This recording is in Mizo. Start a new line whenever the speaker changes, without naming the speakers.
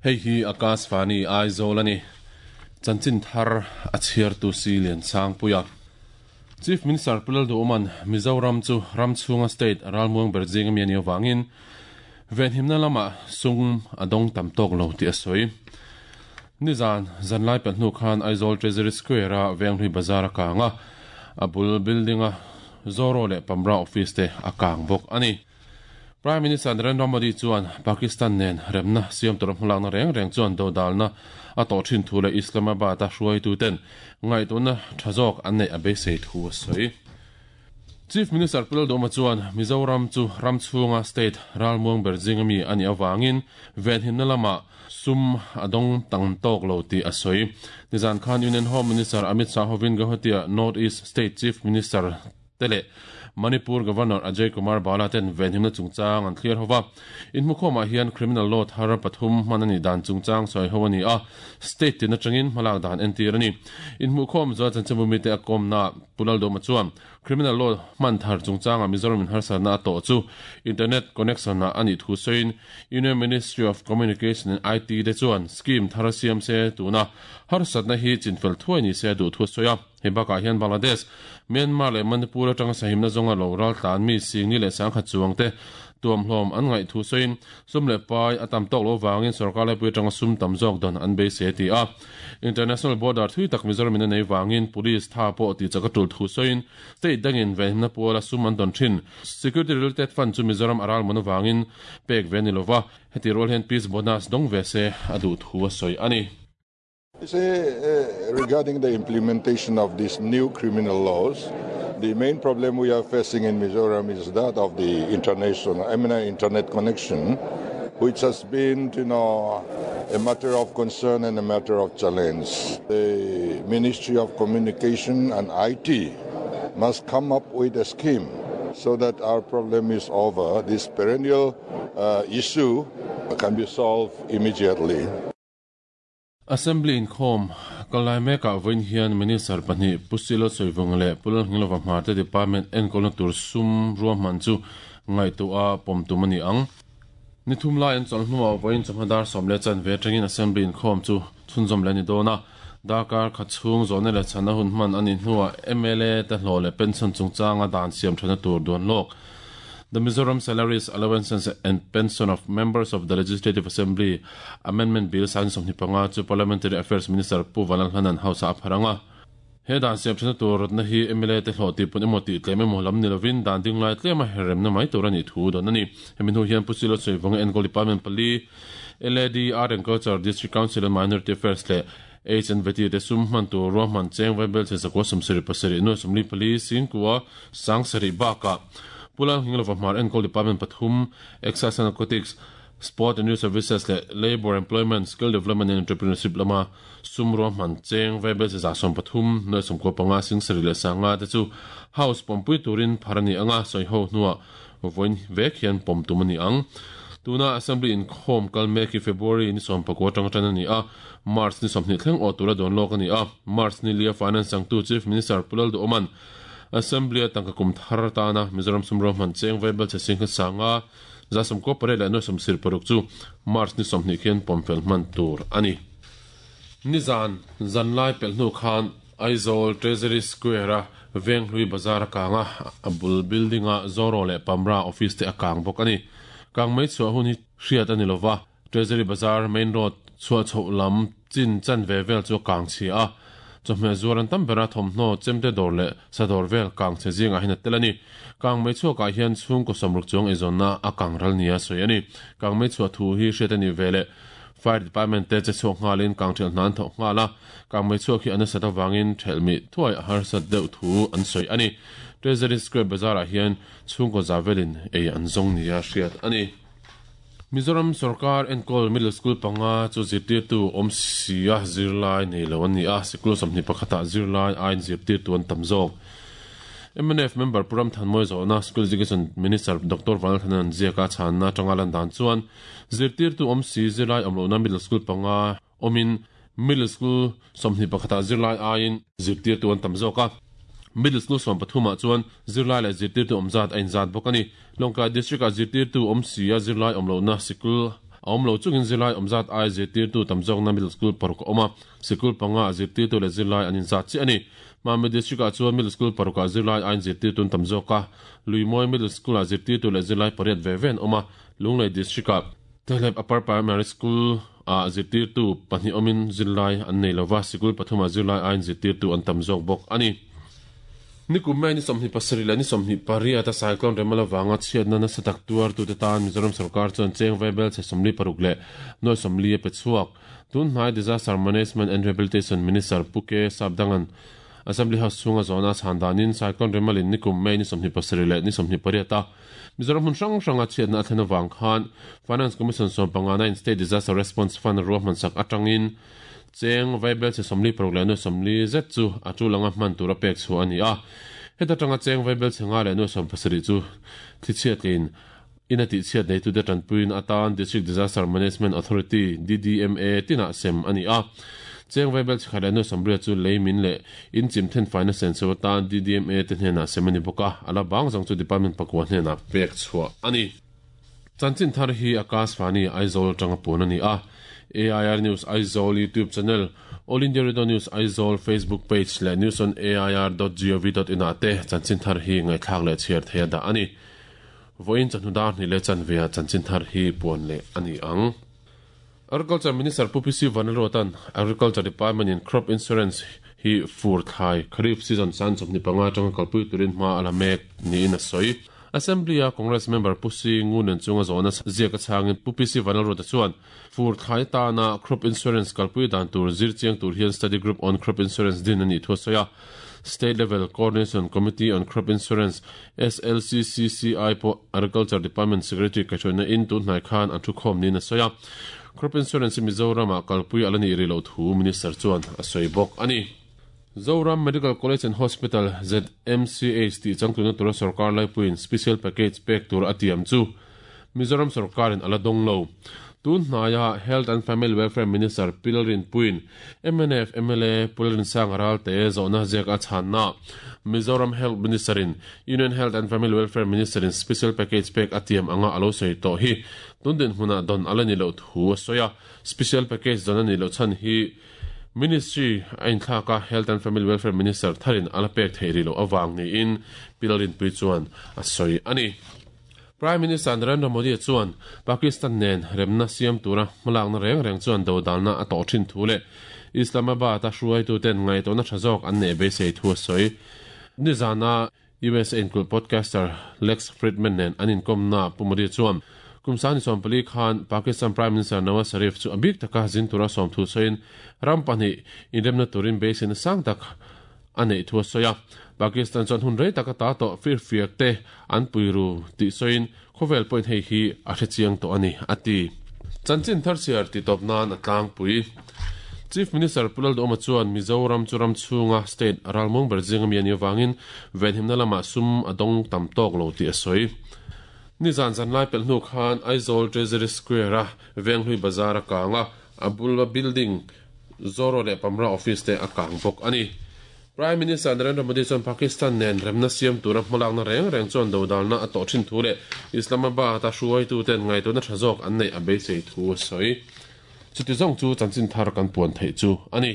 Hei hi Akashvani Aizawl a ni. Chanchin thar a chhiartu si Liansangpuia. Chief Minister Pu Lalduhawma'n Mizoram chu ram chhunga state ralmuang ber zing ami a nih avangin venhimna lamah sum a dawng tam tawk lo tih a sawi. Nizan zanlai pelh hnu khan Aizawl Treasury Square-a Venghlui Bazar a kang a, a bul building-a Zoro leh Pamra office te a kang bawk a ni. Prime Minister Narendra Modi chuan Pakistan nen remna siam tura hmalakna reng reng chuan dodalna a tawh thin thu leh Islamabad-a hruaituten ngaihtuahna tha zawk an neih a beisei thu a sawi. Chief Minister Pu Lalduhoma chuan Mizoram chu ram chhunga state ralmuang ber zinga mi a nih avangin venhimna lamah sum a dawng tam tawk lo tih a sawi. Nizan khan Union Home Minister Amit Shah hovin Guwahati-ah North East State Chief Minister te leh Manipur Governor Ajay Kumar Bhalla ten venhimna chungchang an thlir ho va. Inhmukhawmah hian criminal law thar pathum hman a nih dan chungchang sawi ho a ni a, state tin atangin hmalak dan entir a ni. Inhmuhkhawm zual chanchinbu mite a kawmna Pu Laldawma chuan criminal law hman thar chungchangah Mizoram in harsatna a tawh chu internet connection ah a nih thu sawiin Union Ministry of Communication and IT te chuan scheme thar siam se tuna harsatna hi chinfel thuai ni se a duh thu a sawi a. Hei bakah hian Bangladesh, Myanmar leh Manipur atanga sahimna zawnga lo ral tlan mi Singni leh Sangkhat chuangte tuamhlawm an ngaih thu sawiin sum leh pai a tam tawk lo vangin sorkar laipui atanga sum tam zawk dawn an beisei a ti a. International border thui tak Mizoram in a nei vangin police tha pawh tih chak a tul thu sawiin state dangin venhimna puala sum an dawn thin. Security related fund chu Mizoram a ralmun avangin pek ve a ni lova, heti rual hian peace bonus dawng ve se a duh thu a sawi a ni.
Say, regarding the implementation of these new criminal laws, the main problem we are facing in Mizoram is that of the international, I mean, internet connection, which has been, you know, a matter of concern and a matter of challenge. The Ministry of Communication and IT must come up with a scheme so that our problem is over. This perennial issue can be solved immediately.
Assembly inkhawm kal lai mekah vawiin hian Minister pahnih Pu Silo Sawivunga leh Pu Lalngilova Hmarte Department enkawlna tur sum ruahman chu ngaihtuah a pawm tum a ni ang. Ni thum lai an chawlh hnuah vawiin chawhma dar 10 chanve atangin Assembly inkhawm chu chhunzawm leh a ni dawn a. Darkar khat chhung zawhna leh chhanna hun hman a nih hnuah mla te hlawh leh pension chungchanga dan siam thana tur duan lawk The Mizoram Salaries, Allowances and Pension of Members of the Legislative Assembly Amendment Bill 25 chu Parliamentary Affairs Minister Pu Vanlalhlanan House-ah a phar ang a. He dan siam thana tur rawtna hi mla te hlawh tih pun emaw tih tlem emaw lam ni lovin dan ding lai tlema herremna mai tur a nih thu dawn a ni. Hemi hnu hian Pu Silo Sawivawnga enkawl Department pali, LAD, Art and Culture, District Council and Minority Affairs leh H and Veti te sum hman tur ruahman cheng vaibel che 177 nuai 44 singkua 7,000 bakah Pu Lalnghinglova Hmar enkawl Department pathum, Excise and Narcotics, Sport and Youth Services leh Labour, Employment, Skill Development and Entrepreneurship lama sum ruahman cheng vaibel che 130 nuai 95 7,000 leh 5,000 te chu House pawmpui turin phar a ni ang a, sawiho hnuah Vawiin vek hian pawm tum a ni ang. Tuna Assembly inkhawm kal mek hi February ni 19 atanga tan a ni a, March ni 20 thleng awh tura dawn lawk a ni a. March ni lia Finance changtu Chief Minister Pu Lalduhawma'n Assembly-a tangka kum thar atana Mizoram sum ruahman cheng vaibel chhe sing kha sanga 98 leh nuai 76 chu March ni 20 khian pawm fel hman tur a ni. Nizan zanlai pelh hnu khan Aizawl Treasury Square-a Venghlui Bazar a kang a, a bul building-a Zoro leh Pamra office te a kang bawk a ni. Kang mai chhuah hun hi hriat a ni lo va, Treasury Bazar main road chhuah chhoh lam chin chanve vel chu a kang chhia a, chawhmeh zuar an tam ber a, thawmhnaw, chemte dawr leh sa dawr vel kang chhe zingah hian a tel a ni. Kang mai chhuakah hian chhungkaw 60 chuang eizawnna a kang ral nia sawi a ni. Kang mai chhuah thu hi hriat a nih veleh Fire Department te che chhuak nghalin kang ṭhelh hna an thawk nghal a, kangmei chhuak hi a nasat avangin ṭhelh mih thuai a harsat deuh thu an sawi a ni. Treasury Square Bazar-ah hian chhungkaw za velin ei an zawng nia hriat a ni. Mizoram sorkar enkawl Middle School panga chu zirtirtu awm sia zirlai nei lo an ni a, sikul 21 ah zirlai aiin zirtirtu an tam zawk. Mnf member Pu Ramthanmawi zawhna School Education Minister Doctor Vanlalthanan ziaka chhanna atanga lan dan chuan Zirtirtu awm si zirlai awm lohna middle school panga awmin middle school 21 ah zirlai aiin zirtirtu an tam zawk a. Middle school 13 ah chuan zirlai leh zirtirtu awm zat a inzat bawk a ni. Lawngtlai district ah zirtirtu awm si a zirlai awm lohna sikul a awm lo chungin zirlai awm zat ai zirtirtu tam zawkna middle school paruk a awm a, sikul panga ah zirtirtu leh zirlai an inzat chiah a ni. Mami District ah chuan middle school paruk ah zirlai aiin zirtirtu an tam zawk a, Luimawi Middle School ah zirtirtu leh zirlai pariat ve ve an awm a, Lunglei District ah Tehlep Upper Primary School ah zirtirtu pahnih awmin zirlai an nei lova, sikul pathumah zirlai aiin zirtirtu an tam zawk bawk a ni. Nikum May ni 27 leh ni 28 a Cyclone Remal avanga chhiatna nasa tak tuartute tan Mizoram sorkar chuan cheng vaibel chhe 46 leh nuai 40 a pe chhuak. Tun hnai Disaster Management and Rehabilitation Minister Pu K Sapdangan Assembly House chhunga zawhna a chhan danin Cyclone Remalin nikum May ni 27 leh ni 28 a Mizoram hmun hrang hranga chhiatna a thlen avang khan Finance Commission sawmpangana in State Disaster Response Fund ruahmansak atangin Cheng vaibelchhe 46 leh nuai 40 zet chu a tul anga hman tura pek chhuah a ni a. Heta tanga cheng vaibelchhe 5 leh nuai 70 chu thlichhiatlin in a tihchhiat neitute tanpuiin atan District Disaster Management Authority, DDMA, tinah sem a ni a. Cheng vaibelchhe 1 leh nuai 80 chu lei min leh in chim thenfaina senso atan DDMA te hnenah sem a ni bawk a, a la bang zawng chu Department pakua hnenah pek chhuah a ni. Chanchin thar hi Akashvani Aizawl atanga puan a ni a, AIR News Aizawl YouTube channel, All India Radio News Aizawl Facebook page leh news on air dot gov dot in ah te chanchin thar hi ngaihthlak leh chhiar theih a dah a ni. Vawiin chawhnu dar hnih leh chanve ah chanchin thar hi puan leh a ni ang. Agriculture Minister Pu PC Vanlalruata'n Agriculture Department in Crop Insurance hi fur thlai Kharif season san 25 atanga kalpui turin hma a la mek niin a sawi. Assembly-a Congress member Pu Si Ngunen chunga zawhna ziak a chhangin Pu PC Vanlalruata chuan fur thlai atana Crop Insurance kalpui dan tur zir chiang tur hian Study Group on Crop Insurance din a nih thu a sawi a. State Level Coordination Committee on Crop Insurance, SLCCCI, pawh Agriculture Department Secretary kaihhruaina in tun hnai khan an thukhawm niin a sawi a. Crop Insurance hi Mizoram-ah kalpui a la nih rih loh thu Minister chuan a sawi bawk a ni. Zoram Medical College and Hospital, ZMCH, tih changtluna tura sorkar laipuiin Special Package pek tur a tiam chu Mizoram sorkarin a la dawng lo. Tun hnaia Health and Family Welfare Minister Pi Lalrinpuiin mnf mla Pu Lalrinsanga Ralte zawhna ziak a chhanna Mizoram Health Minister-in Union Health and Family Welfare Minister-in Special Package pek a tiam anga a lo sawi tawh hi tun dinhmunah dawn a la ni loh thu a sawi a. Special Package dawn a nih loh chhan hi Ministry a inthlak a, Health and Family Welfare Minister tharin a la pek theih rih loh avang niin Pi Lalrinpui chuan a sawi a ni. Prime Minister Narendra Modi chuan Pakistan nen remna siam tura hmalakna reng reng chuan dodalna a tawh thin thu leh Islamabad-a hruaituten ngaihtuahna tha zawk an neih beisei thu a sawi. Nizana USA inkulh podcaster Lex Fridman nen an inkawmnaah Pu Modi chuan kum sangni 14 khan Pakistan Prime Minister Nawaz Sharif chu a bik taka zin tura sawm thu sawiin ram pahnih inremna turin beiseina sang tak a neih thu a sawi a. Pakistan chuan hun rei tak ata tawh firfiak te an pui ru tih sawiin khawvel pawhin hei hi a hre chiang tawh a ni, a ti. Chanchin thar chhiar tih tawp nan a tlangpui. Chief Minister Pu Lalduhawma chuan Mizoram chu ram chhunga state ralmuang ber zinga mi a nih avangin venhimna lamah sum a dawng tam tawk lo tih a sawi. Nizan zanlai pelh hnu khan Aizawl Treasury Square-a Venghlui Bazar a kang a, a bula building Zoro leh Pamra office te a kang bawk a ni. Prime Minister Narendra Modi chuan Pakistan nen remna siam tura hmalakna reng reng chuan dodalna a tawh thin thu leh Islamabad-a hruaituten ngaihtuahna tha zawk an neih a beisei thu a sawi. Chuti zawng chu chanchin thar kan puan theih chu a ni.